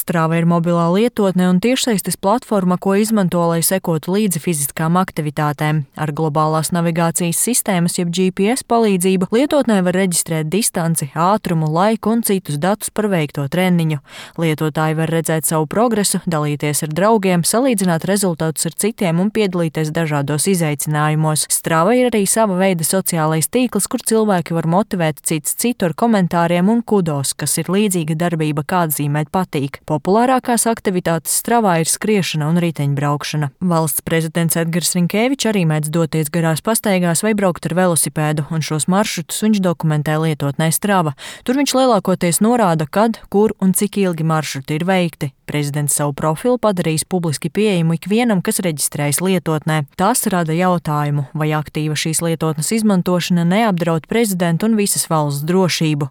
Strava ir mobilā lietotne un tiešsaistes platforma, ko izmanto, lai sekotu līdzi fiziskām aktivitātēm. Ar globālās navigācijas sistēmas, jeb GPS palīdzību, lietotnē var reģistrēt distanci, ātrumu, laiku un citus datus par veikto treniņu. Lietotāji var redzēt savu progresu, dalīties ar draugiem, salīdzināt rezultātus ar citiem un piedalīties dažādos izaicinājumos. Strava ir arī sava veida sociālais tīkls, kur cilvēki var motivēt cits citu ar komentāriem un kudos, kas ir līdzīga darbība, kā atzīmēt patīk. Populārākās aktivitātes Stravā ir skriešana un riteņbraukšana. Valsts prezidents Edgars Rinkēvičs arī mēdz doties garās pastaigās vai braukt ar velosipēdu, un šos maršrutus viņš dokumentē lietotnē Strava. Tur viņš lielākoties norāda, kad, kur un cik ilgi maršruti ir veikti. Prezidents savu profilu padarījis publiski pieejamu ikvienam, kas reģistrējas lietotnē. Tas rada jautājumu, vai aktīva šīs lietotnes izmantošana neapdraud prezidentu un visas valsts drošību.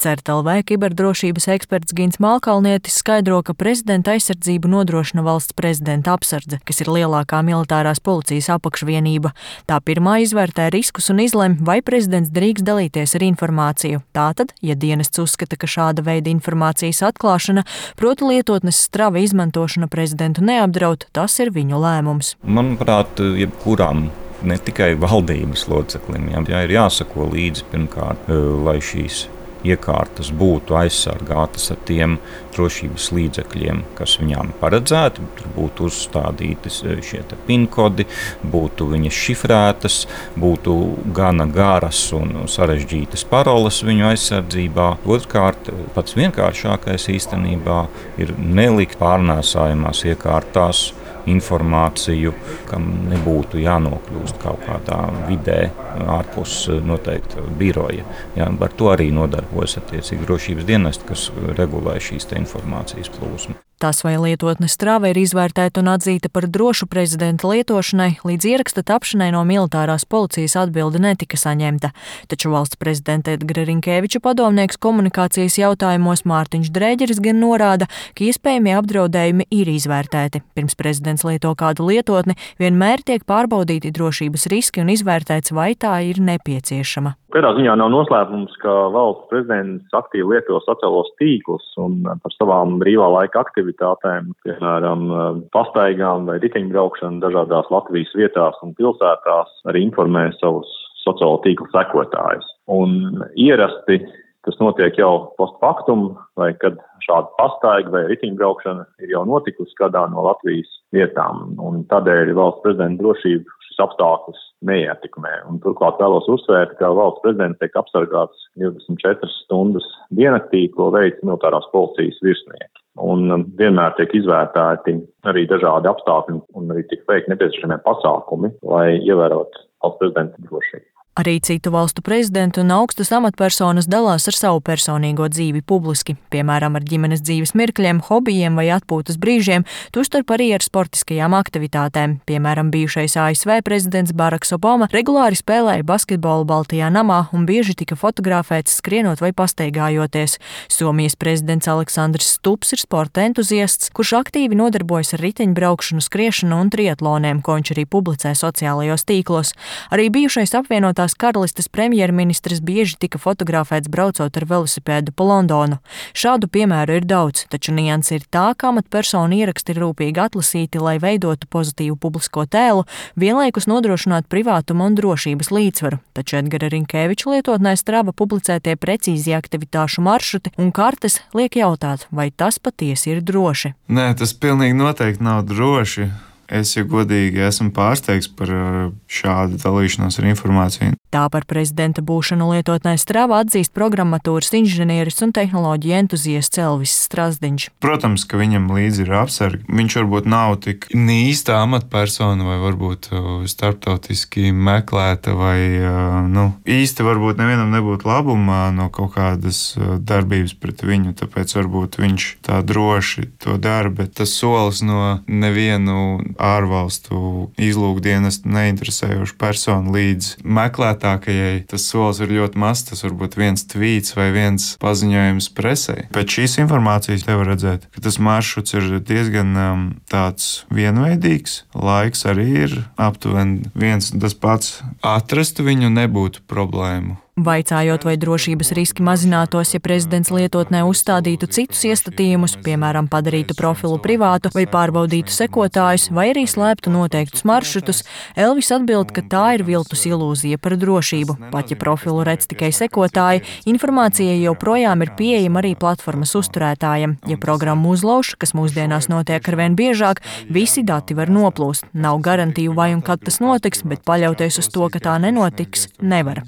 CERT.LV kiberdrošības eksperts Gins Malkalnietis skaidro, ka prezidenta aizsardzību nodrošina valsts prezidenta apsardze, kas ir lielākā militārās policijas apakšvienība. Tā pirmā izvērtē riskus un izlemj, vai prezidents drīkst dalīties ar informāciju. Tātad, ja dienests uzskata, ka šāda veida informācijas atklāšana, proti lietotnes Strava izmantošana prezidentu neapdraud, tas ir viņu lēmums. Manuprāt, jebkuram ne tikai valdības loceklim, ir jāsako līdzi pirmkārt, lai šīs iekārtas būtu aizsargātas ar tiem drošības līdzekļiem, kas viņām paredzēti. Tur būtu uzstādīti šie PIN kodi, būtu viņas šifrētas, būtu gana garas un sarežģītas paroles viņu aizsardzībā. Otrkārt, pats vienkāršākais īstenībā ir nelikt pārnēsājumās iekārtās informāciju, kam nebūtu jānokļūst kaut kādā vidē ārpus noteikta biroja. Ar to arī nodarbojas attiecīgi drošības dienesti, kas regulē šīs informācijas plūsmu. Tas, vai lietotne Strava ir izvērtēta un atzīta par drošu prezidenta lietošanai, līdz ieraksta tapšanai no militārās policijas atbilde netika saņemta. Taču valsts prezidenta Edgara Rinkēviča padomnieks komunikācijas jautājumos Mārtiņš Drēģeris gan norāda, ka iespējamie apdraudējumi ir izvērtēti. Pirms prezidents lieto kādu lietotni, vienmēr tiek pārbaudīti drošības riski un izvērtēts, vai tā ir nepieciešama. Kādā ziņā nav noslēpums, ka valsts prezidents aktīvi lieto sociālos tīklus un par savām brīvā laika aktivitātēm, piemēram, pastaigām vai riteņbraukšanu dažādās Latvijas vietās un pilsētās, arī informē savus sociālo tīklu sekotājus. Un ierasti tas notiek jau post factum, vai kad šāda pastaiga vai riteņbraukšana ir jau notikusi kādā no Latvijas vietām. Un tādēļ valsts prezidenta drošību šis apstākļus neietekmē. Un turklāt vēlos uzsvērt, ka valsts prezidents tiek apsargāts 24 stundas diennaktī, ko veic militārās policijas virsnieki. Un vienmēr tiek izvērtēti arī dažādi apstākļi un arī tiek veikti nepieciešamie pasākumi, lai ievērotu valsts prezidenta drošību. Arī citu valstu prezidenti un augstas amatpersonas dalās ar savu personīgo dzīvi publiski, piemēram, ar ģimenes dzīves mirkļiem, hobijiem vai atpūtas brīžiem, tostarp arī ar sportiskajām aktivitātēm. Piemēram, bijušais ASV prezidents Baraks Obama regulāri spēlēja basketbolu Baltijā namā un bieži tika fotografēts skrienot vai pastaigājoties. Somijas prezidents Aleksandrs Stubbs ir sporta entuziasts, kurš aktīvi nodarbojas ar riteņbraukšanu, skriešanu un triatloniem, ko viņš arī publicē sociālajos tīklos. Arī bijušais apvienotās Karalistes premjerministrs bieži tika fotografēts braucot ar velosipēdu pa Londonu. Šādu piemēru ir daudz, taču nianse ir tā, ka amatpersonu ieraksti ir rūpīgi atlasīti, lai veidotu pozitīvu publisko tēlu, vienlaikus nodrošināt privātumu un drošības līdzsvaru. Taču Edgara Rinkēviča lietotnē Strava publicētie precīzi aktivitāšu maršruti un kartes liek jautāt, vai tas patiesi ir droši. Nē, tas pilnīgi noteikti nav droši. Es, ja godīgi, esmu pārsteigts par šādu dalīšanos ar informāciju. Tā par prezidenta būšanu lietotnē Strava atzīst programmatūras inženieris un tehnoloģiju entuziasts Elvis Strasdiņš. Protams, ka viņam līdzi ir apsargi. Viņš varbūt nav tik īsta amatpersona vai varbūt starptautiski meklēta vai īsti varbūt nevienam nebūtu labuma no kaut kādas darbības pret viņu, tāpēc varbūt viņš tā droši to dara, bet tas solis no nevienu ārvalstu izlūkdienestu neinteresējošu personu līdz meklētākajai. Tas solis ir ļoti mazs, tas varbūt viens tvīts vai viens paziņojums presē. Pēc šīs informācijas te var redzēt, ka tas maršruts ir diezgan tāds vienveidīgs. Laiks arī ir aptuveni viens un tas pats. Atrast viņu nebūtu problēmu. Vaicājot, vai drošības riski mazinātos, ja prezidents lietotnē uzstādītu citus iestatījumus, piemēram, padarītu profilu privātu vai pārbaudītu sekotājus, vai arī slēptu noteiktus maršrutus, Elvis atbild, ka tā ir viltus ilūzija par drošību. Pat ja profilu redz tikai sekotāji, informācija joprojām ir pieejama arī platformas uzturētājiem. Ja programmu uzlauž, kas mūsdienās notiek arvien biežāk, visi dati var noplūst. Nav garantiju, vai un kad tas notiks, bet paļauties uz to, ka tā nenotiks, nevar.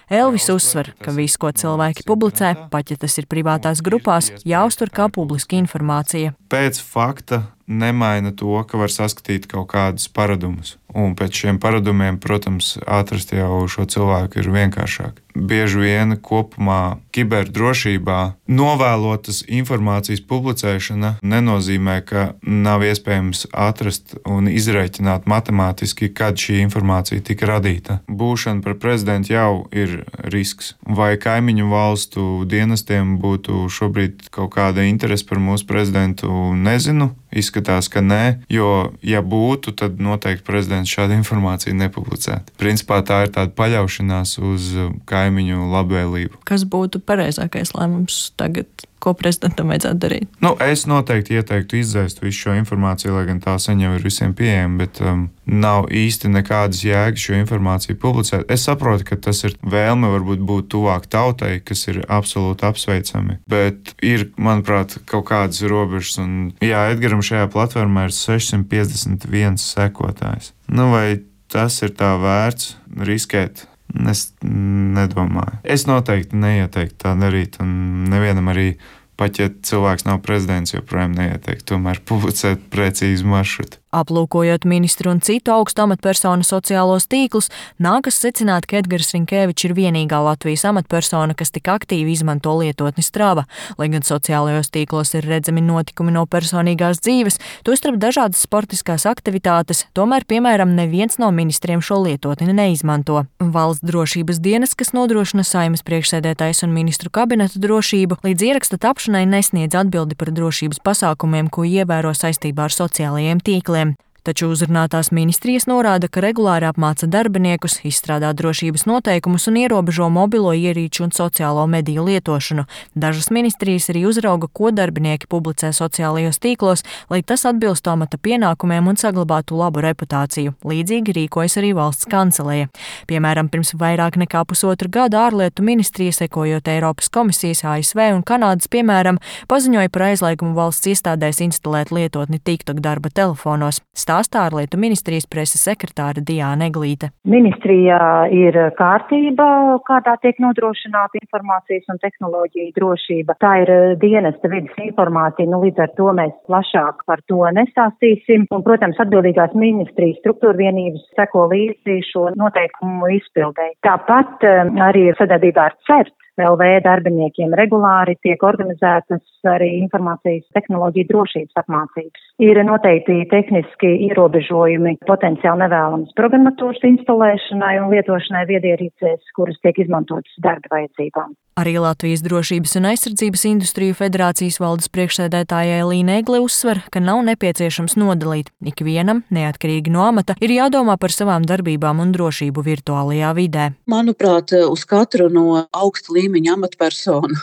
Elvis uzsver, ka viss, ko cilvēki publicē, pat ja tas ir privātās grupās, jāuztur kā publiska informācija. Pēc fakta nemaina to, ka var saskatīt kaut kādus paradumus. Un pēc šiem paradumiem, protams, atrast jau šo cilvēku ir vienkāršāk. Bieži vien kopumā kiberdrošībā novēlotas informācijas publicēšana nenozīmē, ka nav iespējams atrast un izrēķināt matemātiski, kad šī informācija tika radīta. Būšana par prezidentu jau ir risks. Vai kaimiņu valstu dienestiem būtu šobrīd kaut kāda interese par mūsu prezidentu, nezinu. Izskatās, ka nē, jo, ja būtu, tad noteikti prezidents šādu informāciju nepublicētu. Principā tā ir tāda paļaušanās uz kaimiņu labvēlību. Kas būtu pareizākais lēmums tagad? Ko prezidentam vajadzētu darīt? Es noteikti ieteiktu izdzēst visu šo informāciju, lai gan tā sen jau ir visiem pieejama, bet nav īsti nekādas jēgas šo informāciju publicēt. Es saprotu, ka tas ir vēlme varbūt būt tuvāk tautai, kas ir absolūti apsveicami, bet ir, manuprāt, kaut kādas robežas. Un, jā, Edgaram šajā platformā ir 651 sekotājs. Vai tas ir tā vērts riskēt? Es nedomāju. Es noteikti neieteiktu tā darīt, un nevienam arī, pat ja cilvēks nav prezidents, joprojām neieteiktu tomēr publicēt precīzu maršrutu. Aplūkojot ministru un citu augstu amatpersonu sociālos tīklus, nākas secināt, ka Edgars Rinkēvičs ir vienīgā Latvijas amatpersona, kas tik aktīvi izmanto lietotni Strava. Lai gan sociālajos tīklos ir redzami notikumi no personīgās dzīves, tostarp dažādas sportiskās aktivitātes, tomēr, piemēram, neviens no ministriem šo lietotni neizmanto. Valsts drošības dienas, kas nodrošina Saeimas priekšsēdētājas un ministru kabineta drošību, līdz ieraksta tapšanai nesniedz atbildi par drošības pasākumiem, ko ievēro saistībā ar sociālajiem tīkliem. Taču uzrunātās ministrijas norāda, ka regulāri apmāca darbiniekus, izstrādā drošības noteikumus un ierobežo mobilo ierīču un sociālo mediju lietošanu. Dažas ministrijas arī uzrauga, ko darbinieki publicē sociālajos tīklos, lai tas atbilstu amata pienākumiem un saglabātu labu reputāciju. Līdzīgi rīkojas arī valsts kanceleja. Piemēram, pirms vairāk nekā pusotra gada ārlietu ministrija, sekojot Eiropas komisijas, ASV un Kanādas piemēram, paziņoja par aizliegumu valsts iestādēs instalēt lietotni TikTok darba telefonos. Stāstā ārlietu ministrijas preses sekretāra Diāna Eglīte. Ministrijā ir kārtība, kādā tiek nodrošināta informācijas un tehnoloģija drošība. Tā ir dienesta vides informācija, līdz ar to mēs plašāk par to nestāstīsim. Un, protams, atbildīgās ministrijas struktūra vienības seko līdzi šo noteikumu izpildēji. Tāpat arī sadarbībā ar CERT LV darbiniekiem regulāri tiek organizētas arī informācijas tehnoloģija drošības apmācības. Ir noteikti tehniski ierobežojumi potenciāli nevēlamas programmatūras instalēšanai un lietošanai viedierīcēs, kuras tiek izmantotas darba vajadzībām. Arī Latvijas Drošības un aizsardzības industriju federācijas valdes priekšsēdētājai Līna Egle uzsver, ka nav nepieciešams nodalīt. Ikvienam, neatkarīgi no amata, ir jādomā par savām darbībām un drošību virtuālajā vidē. Manuprāt, uz katru no augsta līmeņa amatpersonu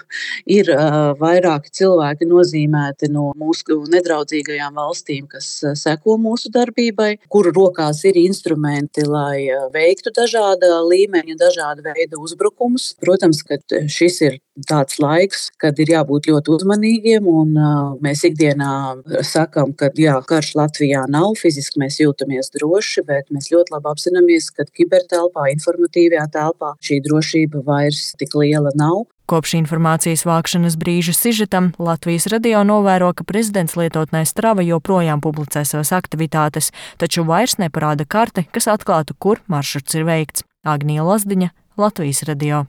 ir vairāki cilvēki nozīmēti no mūsu nedraudzīgajām valstīm, kas seko mūsu darbībai, kuru rokās ir instrumenti, lai veiktu dažāda līmeņa, dažāda veida uzbrukumus. Protams, ka šis ir tāds laiks, kad ir jābūt ļoti uzmanīgiem, un mēs ikdienā sakam, ka jā, karš Latvijā nav, fiziski mēs jūtamies droši, bet mēs ļoti labi apzināmies, ka kibertelpā, informatīvajā telpā šī drošība vairs tik liela nav. Kopš informācijas vākšanas brīža sižetam Latvijas radio novēro, ka prezidents lietotnē Strava joprojām publicē savas aktivitātes, taču vairs neparāda karte, kas atklātu, kur maršruts ir veikts. Agnija Lazdiņa, Latvijas radio.